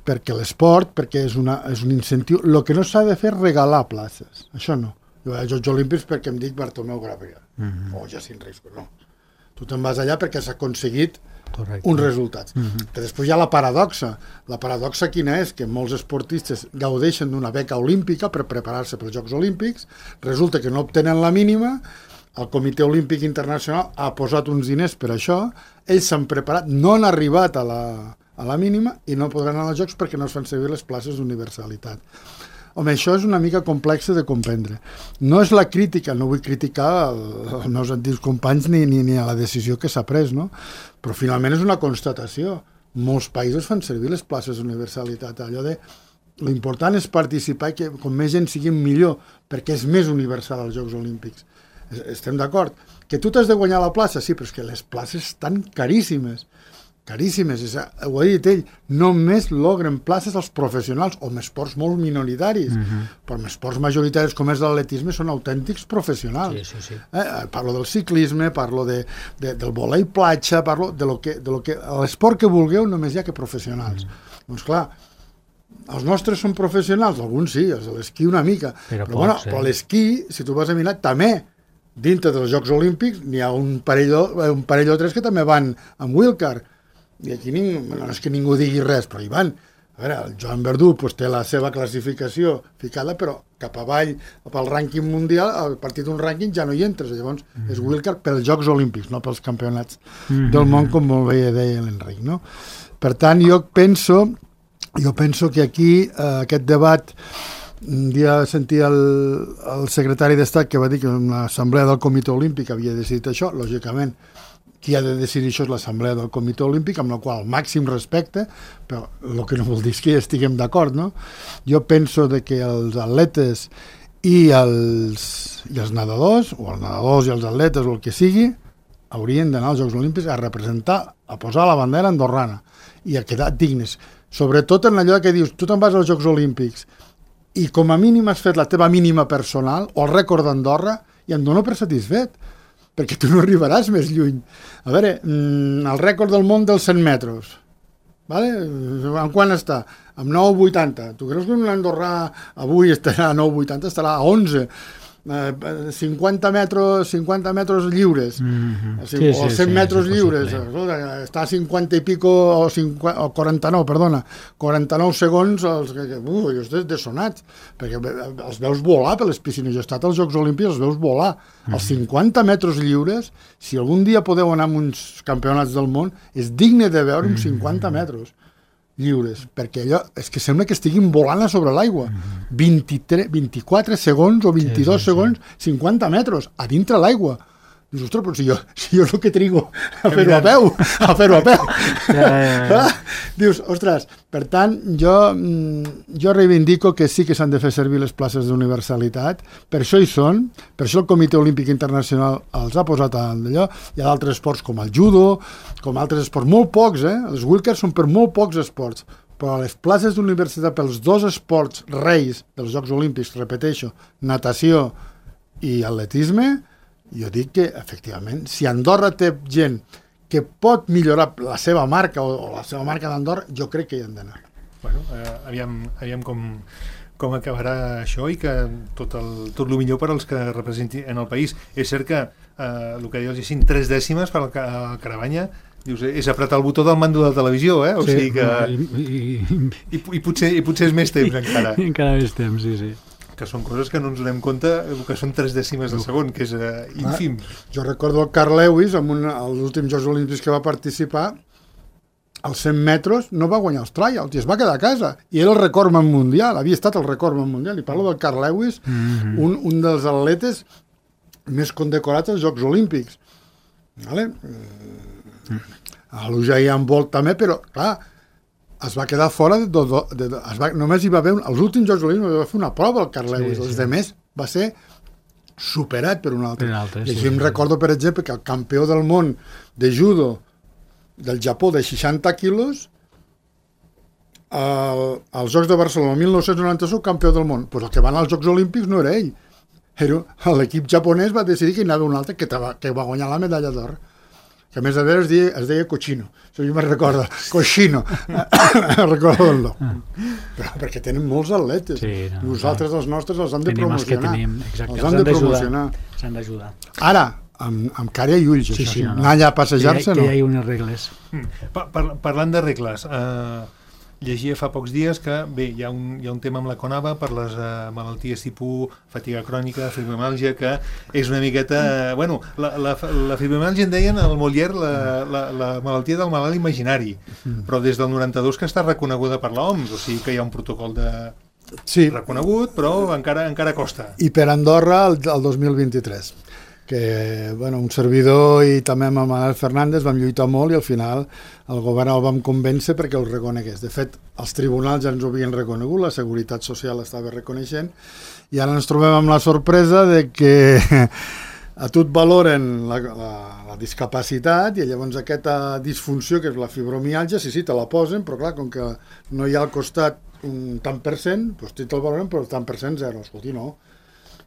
Perquè l'esport, perquè és un incentiu. El que no s'ha de fer és regalar places, això no. Jo vaig als Jocs Olímpics perquè em dic Bartomeu Gabriel o Jacint Risco, no. Tu te'n vas allà perquè s'ha aconseguit uns resultats. Que després hi ha la paradoxa. La paradoxa quina és? Que molts esportistes gaudeixen d'una beca olímpica per preparar-se pels Jocs Olímpics, resulta que no obtenen la mínima, el Comitè Olímpic Internacional ha posat uns diners per això, ells s'han preparat, no han arribat a la mínima i no podran anar als Jocs perquè no es fan servir les places d'universalitat. Home, això és una mica complex de comprendre. No és la crítica, no vull criticar els meus antics companys ni a la decisió que s'ha pres, no? Però finalment és una constatació. Molts països fan servir les places d'universalitat. Allò de l'important és participar i que com més gent sigui millor, perquè és més universal als Jocs Olímpics. Estem d'acord. Que tu t'has de guanyar la plaça, sí, però és que les places estan caríssimes. Caríssimes, ho ha dit ell, només logren places als professionals o amb esports molt minoritaris, però amb esports majoritaris com és l'atletisme són autèntics professionals. Sí. Parlo del ciclisme, parlo del vòlei platja, parlo de lo que l'esport que vulgueu només hi ha que professionals. Doncs clar, els nostres són professionals, alguns sí, els de l'esquí una mica, però l'esquí, si tu vas a mirar, també dintre dels Jocs Olímpics n'hi ha un parell o 3 que també van amb wildcard. I aquí no és que ningú digui res, però hi van. A veure, el Joan Verdú té la seva classificació ficada, però cap avall, pel rànquing mundial, a partir d'un rànquing ja no hi entres. Llavors, és wildcard pels Jocs Olímpics, no pels campionats del món, com molt bé deia l'Enric, no? Per tant, jo penso que aquí aquest debat, un dia sentia el secretari d'Estat que va dir que una assemblea del Comitè Olímpic havia decidit això, lògicament, qui ha de decidir això és l'Assemblea del Comitè Olímpic, amb la qual màxim respecte, però el que no vol dir és que estiguem d'acord, no? Jo penso que els atletes i els nedadors, o els nedadors i els atletes, o el que sigui, haurien d'anar als Jocs Olímpics a representar, a posar la bandera andorrana i a quedar dignes. Sobretot en allò que dius, tu te'n vas als Jocs Olímpics i com a mínim has fet la teva mínima personal o el rècord d'Andorra i em dono per satisfet, perquè tu no arribaràs més lluny. A veure, el rècord del món dels 100 metres, vale? En quant està? Amb 9,80. Tu creus que un andorrà avui estarà a 9,80? Estarà a 11. 50 metres lliures, o 100 metres lliures, està a 50 i pico, o 49, perdona, 49 segons, jo estic dessonat, perquè els veus volar per les piscines. Jo he estat als Jocs Olímpics, els veus volar. Els 50 metres lliures, si algun dia podeu anar a uns campionats del món, és digne de veure uns 50 metres lliures, perquè allò és que sembla que estiguin volant a sobre l'aigua. 24 segons o 22 segons, 50 metres a dintre l'aigua. Dius, ostres, però si jo és el que trigo a fer-ho a peu. Dius, ostres, per tant, jo reivindico que sí que s'han de fer servir les places d'universalitat, per això hi són, per això el Comitè Olímpic Internacional els ha posat a d'allò. Hi ha d'altres esports com el judo, com altres esports, molt pocs, les wheelchairs són per molt pocs esports, però les places d'universitat pels dos esports reis dels Jocs Olímpics, repeteixo, natació i atletisme, jo dic que, efectivament, si Andorra té gent que pot millorar la seva marca o la seva marca d'Andorra, jo crec que hi han d'anar. Bueno, aviam com acabarà això i que tot el millor per als que representin en el país. És cert que el que dius, 3 dècimes per al Caravanya, dius, és apretar el botó del mando de la televisió, o sigui que... I potser és més temps encara. Encara més temps, sí. Que són coses que no ens donem compte, que són 3 dècimes de segon, que és ínfim. Jo recordo el Carl Lewis, als últims Jocs Olímpics que va participar, als 100 metres no va guanyar els trials i es va quedar a casa. I era el recordman mundial, havia estat el recordman mundial. I parlo del Carl Lewis, un dels atletes més condecorats als Jocs Olímpics. Vale? A l'Usain Bolt també, però, clar, es va quedar fora només hi va haver els últims Jocs Olímpics va fer una prova el Carl Lewis, els demés va ser superat per un altre. I així em recordo, per exemple, que el campió del món de judo del Japó de 60 quilos als Jocs de Barcelona el 1991 campió del món, doncs el que va anar als Jocs Olímpics no era ell, l'equip japonès va decidir que hi anava un altre que va guanyar la medalla d'or, que a més a més es deia Cochino, això jo me'n recordo, Cochino, recordo el nom, però perquè tenen molts atletes, nosaltres els nostres els han de promocionar, els han de promocionar. S'han d'ajudar. Ara, amb cara i ulls, anar allà a passejar-se, no. Que hi ha unes regles. Parlant de regles, llegia fa pocs dies que, bé, hi ha un tema amb la CONAVA per les malalties tipus fatiga crònica, fibromiàlgia, que és una miqueta... Bueno, la fibromiàlgia en deien al Molière la malaltia del malalt imaginari, però des del 92 que està reconeguda per l'OMS, o sigui que hi ha un protocol reconegut, però encara costa. I per Andorra el 2023. Que un servidor i també amb el Manuel Fernández vam lluitar molt i al final el govern el vam convèncer perquè el reconegués. De fet, els tribunals ja ens ho havien reconegut, la Seguretat Social estava reconeixent i ara ens trobem amb la sorpresa de que a tu et valoren la discapacitat i llavors aquesta disfunció que és la fibromiàlgia, sí, te la posen, però clar, com que no hi ha al costat un tant per cent, doncs te'l valoren però tant per cent zero, escolti, no.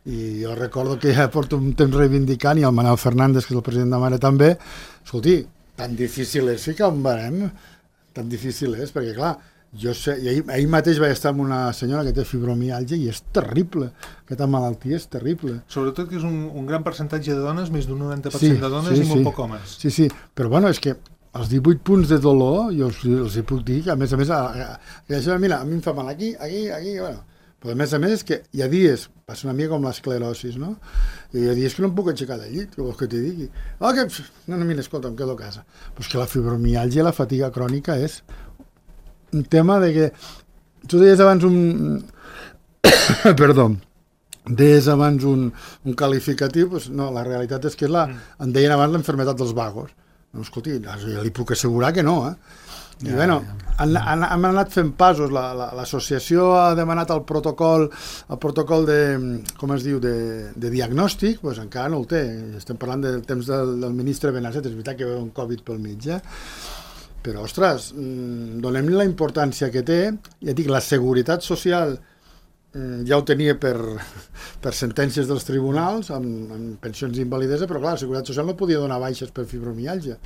I jo recordo que ja porto un temps reivindicant i el Manuel Fernández, que és el president de Mare també, escolti, tan difícil és ficar un barem, tan difícil és, perquè clar, jo sé, ahir mateix vaig estar amb una senyora que té fibromiàlgia i és terrible, aquesta malaltia és terrible. Sobretot que és un gran percentatge de dones, més d'un 90% de dones i molt poc homes. Sí, però bueno, és que els 18 punts de dolor, jo els hi puc dir que a més, mira, a mi em fa mal aquí, bueno, però a més és que hi ha dies, passa una mica com l'esclerosis, no? I hi ha dies que no em puc aixecar del llit, que vols que t'hi digui? No, mira, escolta, em quedo a casa. Però és que la fibromiàlgia, la fatiga crònica és un tema de que... Tu deies abans deies abans un qualificatiu, doncs no, la realitat és que en deien abans l'enfermetat dels vagos. No, escolti, li puc assegurar que no, I hem anat fent passos, l'associació ha demanat el protocol de, com es diu, de diagnòstic, doncs encara no el té, estem parlant del temps del ministre Benasset, és veritat que hi va un Covid pel mig, però ostres, donem-li la importància que té, ja dic, la seguretat social ja ho tenia per sentències dels tribunals, amb pensions d'invalidesa, però clar, la seguretat social no podia donar baixes per fibromiàlgia,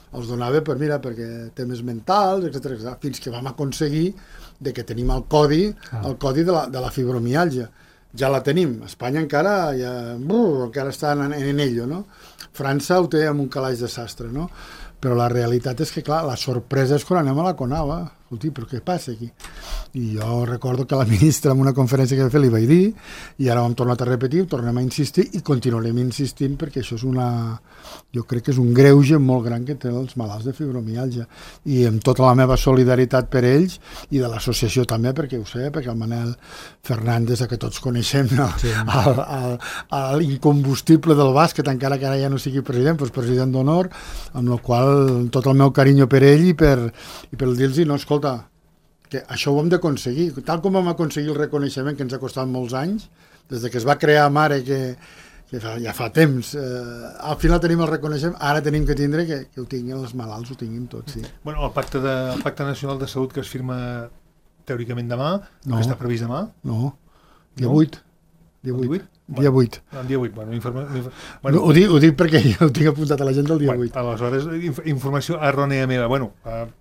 els donava perquè temes mentals, etc. Fins que vam aconseguir que tenim el codi de la fibromiàlgia. Ja la tenim. Espanya encara està en ello, no? França ho té amb un calaix de sastre, no? Però la realitat és que, clar, la sorpresa és quan anem a la CONAVA. escolti, però què passa aquí? I jo recordo que la ministra en una conferència que va fer li vaig dir, i ara ho hem tornat a repetir, ho tornem a insistir i continuarem insistint perquè això és jo crec que és un greuge molt gran que tenen els malalts de fibromiàlgia, i amb tota la meva solidaritat per ells i de l'associació també, perquè ho sé, perquè el Manel Fernández, que tots coneixem, l'incombustible del bàsquet, encara que ara ja no sigui president, però és president d'honor, amb la qual tot el meu carinyo per ell i per dir-los, no, escolta, que això ho hem d'aconseguir, tal com vam aconseguir el reconeixement que ens ha costat molts anys, des que es va crear Mare, que ja fa temps, al final tenim el reconeixement, ara tenim que tindre que ho tinguin els malalts, ho tinguin tots, sí. Bueno, el Pacte Nacional de Salut que es firma teòricament demà, que està previst demà? No, dia 8. Dia 8. Dia 8. Dia 8, bueno, ho dic perquè ja ho tinc apuntat a l'agenda el dia 8. Aleshores, informació errònia meva. Bueno,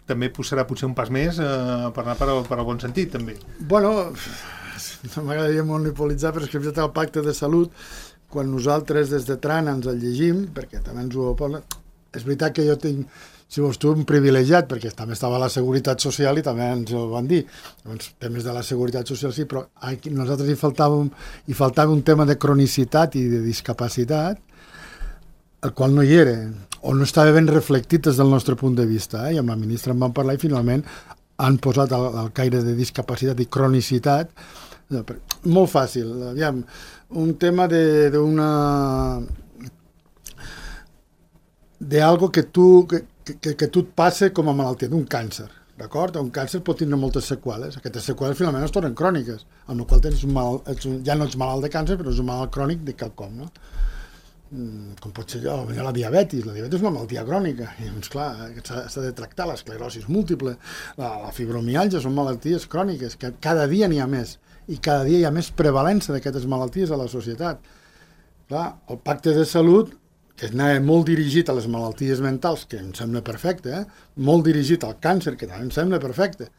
també serà potser un pas més per anar per al bon sentit, també. Bueno, no m'agradaria monopolitzar, però és que hem fet el Pacte de Salut, quan nosaltres des de Trana ens el llegim, perquè també ens ho posa... És veritat que jo tinc, si vols tu, un privilegiat, perquè també estava a la Seguretat Social i també ens ho van dir. Llavors, temes de la Seguretat Social sí, però a nosaltres hi faltava un tema de cronicitat i de discapacitat, el qual no hi era, o no estava ben reflectit des del nostre punt de vista, i amb la ministra en vam parlar i finalment han posat el caire de discapacitat i cronicitat. Molt fàcil, aviam, un tema d'algo que tu et passa com a malaltia, d'un càncer, d'acord? Un càncer pot tenir moltes seqüeles, aquestes seqüeles finalment es tornen cròniques, amb la qual ja no ets malalt de càncer, però és un malalt crònic de quelcom, no? Com pot ser la diabetis és una malaltia crònica, i doncs clar, s'ha de tractar, l'esclerosi múltiple, la fibromiàlgia, són malalties cròniques, que cada dia n'hi ha més, i cada dia hi ha més prevalença d'aquestes malalties a la societat. Clar, el Pacte de Salut, que anava molt dirigit a les malalties mentals, que em sembla perfecte, molt dirigit al càncer, que també em sembla perfecte,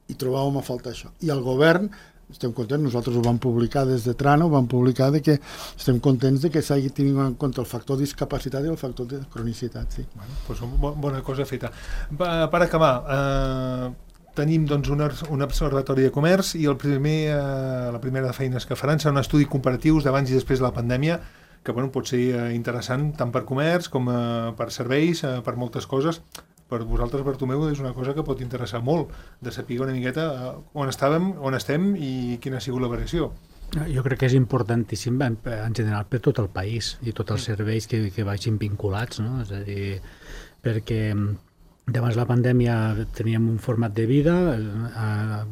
i trobàvem a faltar això. I el govern, estem contents, nosaltres ho vam publicar des de Trana, ho vam publicar que estem contents que s'hagi tingut en compte el factor discapacitat i el factor de cronicitat, sí. Bueno, doncs bona cosa feta. Per acabar, tenim doncs, un observatori de comerç i la primera de feines que faran serà un estudi comparatiu d'abans i després de la pandèmia, que pot ser interessant tant per comerç com per serveis, per moltes coses. Per vosaltres, Bartomeu, és una cosa que pot interessar molt, de saber una miqueta on estem i quina ha sigut la variació. Jo crec que és importantíssim en general per tot el país i tots els serveis que vagin vinculats, no? És a dir, perquè abans la pandèmia teníem un format de vida,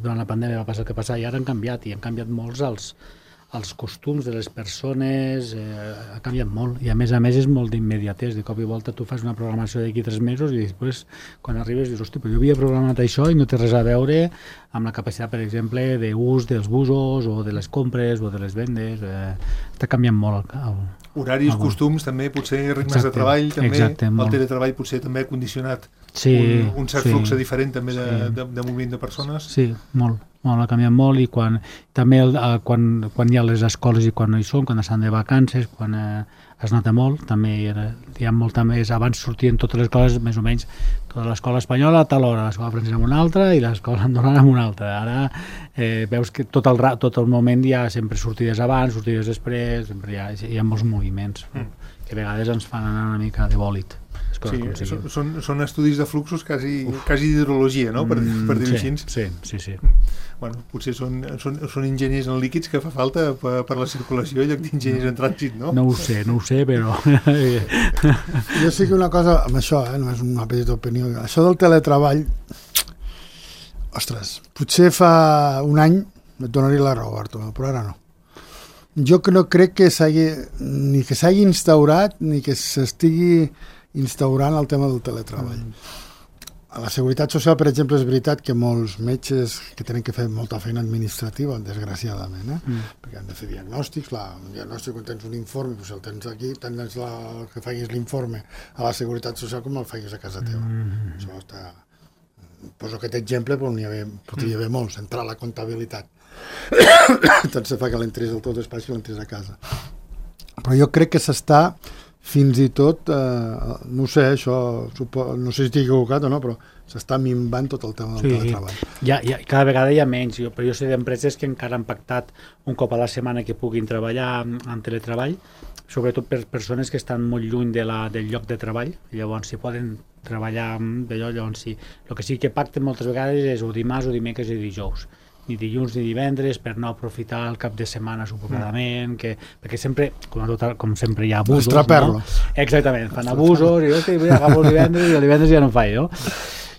durant la pandèmia va passar el que passava i ara han canviat, i han canviat molts els costums de les persones, ha canviat molt, i a més és molt d'immediatès, de cop i volta tu fas una programació d'aquí 3 mesos i després quan arribes dius, hosti, però jo havia programat això i no té res a veure amb la capacitat, per exemple, d'ús dels busos o de les compres o de les vendes, està canviant molt horaris, costums, també, potser ritmes de treball, també, el teletreball potser també ha condicionat un cert flux diferent també de moviment de persones. Sí, molt, ha canviat molt, i també quan hi ha les escoles i quan no hi són, quan estan de vacances, quan es nota molt, també hi ha molta més, abans sortien totes les coses, més o menys, tota l'escola espanyola a tal hora, l'escola francesa en una altra i l'escola andorrana en una altra. Ara veus que tot el moment hi ha sempre sortides abans, sortides després, sempre hi ha molts moviments que a vegades ens fan anar una mica de bòlit. Sí, són estudis de fluxos quasi d'hidrologia, no? Per dir-ho així. Sí. Bueno, potser són enginyers en líquids que fa falta per la circulació en lloc d'enginyers en trànsit, no? No ho sé, però... Jo sí que una cosa, amb això, només una petita opinió, això del teletreball, ostres, potser fa un any et donaria la raó, Bartomeu, però ara no. Jo no crec que s'hagi instaurat ni que s'estigui instaurant el tema del teletreball. A la Seguretat Social, per exemple, és veritat que molts metges que tenen que fer molta feina administrativa, desgraciadament, perquè han de fer diagnòstics, un diagnòstic quan tens un informe, doncs el tens aquí, tant és que facis l'informe a la Seguretat Social com el facis a casa teva. Això està... Poso aquest exemple, però podria haver molts, entrar a la comptabilitat. Tant se fa que l'entris al teu despatx que l'entris a casa. Però jo crec que s'està fins i tot, no sé, això, no sé si estic equivocat o no, però s'està minvant tot el tema del teletreball. Cada vegada hi ha menys, però jo sé d'empreses que encara han pactat un cop a la setmana que puguin treballar en teletreball, sobretot per persones que estan molt lluny del lloc de treball, llavors si poden treballar d'allò, llavors sí. El que sí que pacten moltes vegades és o dimarts o dimecres i dijous, ni dilluns ni divendres, per no aprofitar el cap de setmana suposadament, perquè sempre, com sempre hi ha abusos, no? Exactament, fan abusos, i jo agafo el divendres i el divendres ja no faig, no?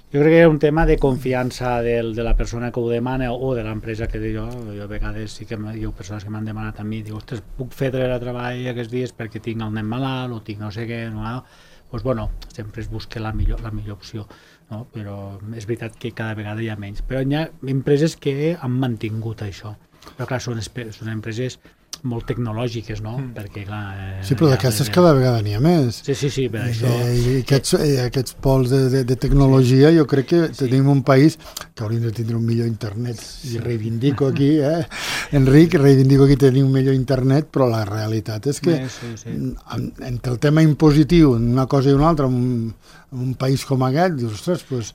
Jo crec que és un tema de confiança de la persona que ho demana o de l'empresa que jo a vegades sí que hi ha persones que m'han demanat a mi, diu, ostres, puc fer treball aquests dies perquè tinc el nen malalt o tinc no sé què, no? Doncs bueno, sempre es busca la millor opció, no? Però és veritat que cada vegada hi ha menys. Però hi ha empreses que han mantingut això. Però clar, són empreses molt tecnològiques, no? Perquè, clar... Sí, però d'aquestes cada vegada n'hi ha més. Sí, per això... I aquests pols de tecnologia, jo crec que tenim un país que hauríem de tindre un millor internet. I reivindico aquí, Enric, reivindico aquí tenir un millor internet, però la realitat és que entre el tema impositiu, una cosa i una altra, en un país com aquest, dius, ostres, pues,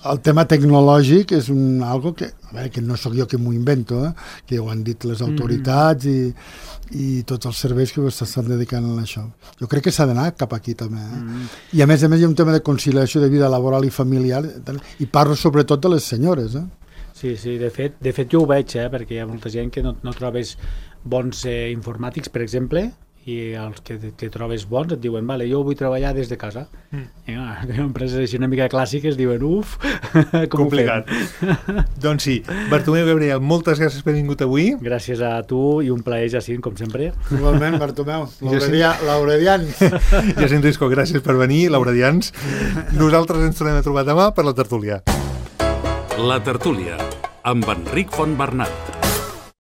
el tema tecnològic és algo que, a veure, que no sóc jo que m'ho invento, que ho han dit les autoritats i tots els serveis que s'estan dedicant a això. Jo crec que s'ha d'anar cap aquí també. I a més hi ha un tema de conciliació de vida laboral i familiar, i parlo sobretot de les senyores. Sí, de fet jo ho veig, perquè hi ha molta gent que no trobes bons informàtics, per exemple, i els que trobes bons et diuen, vale, jo vull treballar des de casa. I empreses així una mica clàssiques diuen, complicat. Doncs sí, Bartomeu Gabriel, moltes gràcies per haver vingut avui. Gràcies a tu i un plaer, Jacint, com sempre. Igualment, Bartomeu, l'auredians. Jacint Risco, gràcies per venir, l'auredians. Nosaltres ens tornem a trobar demà per la tertúlia. La tertúlia, amb Enric Fontbernat.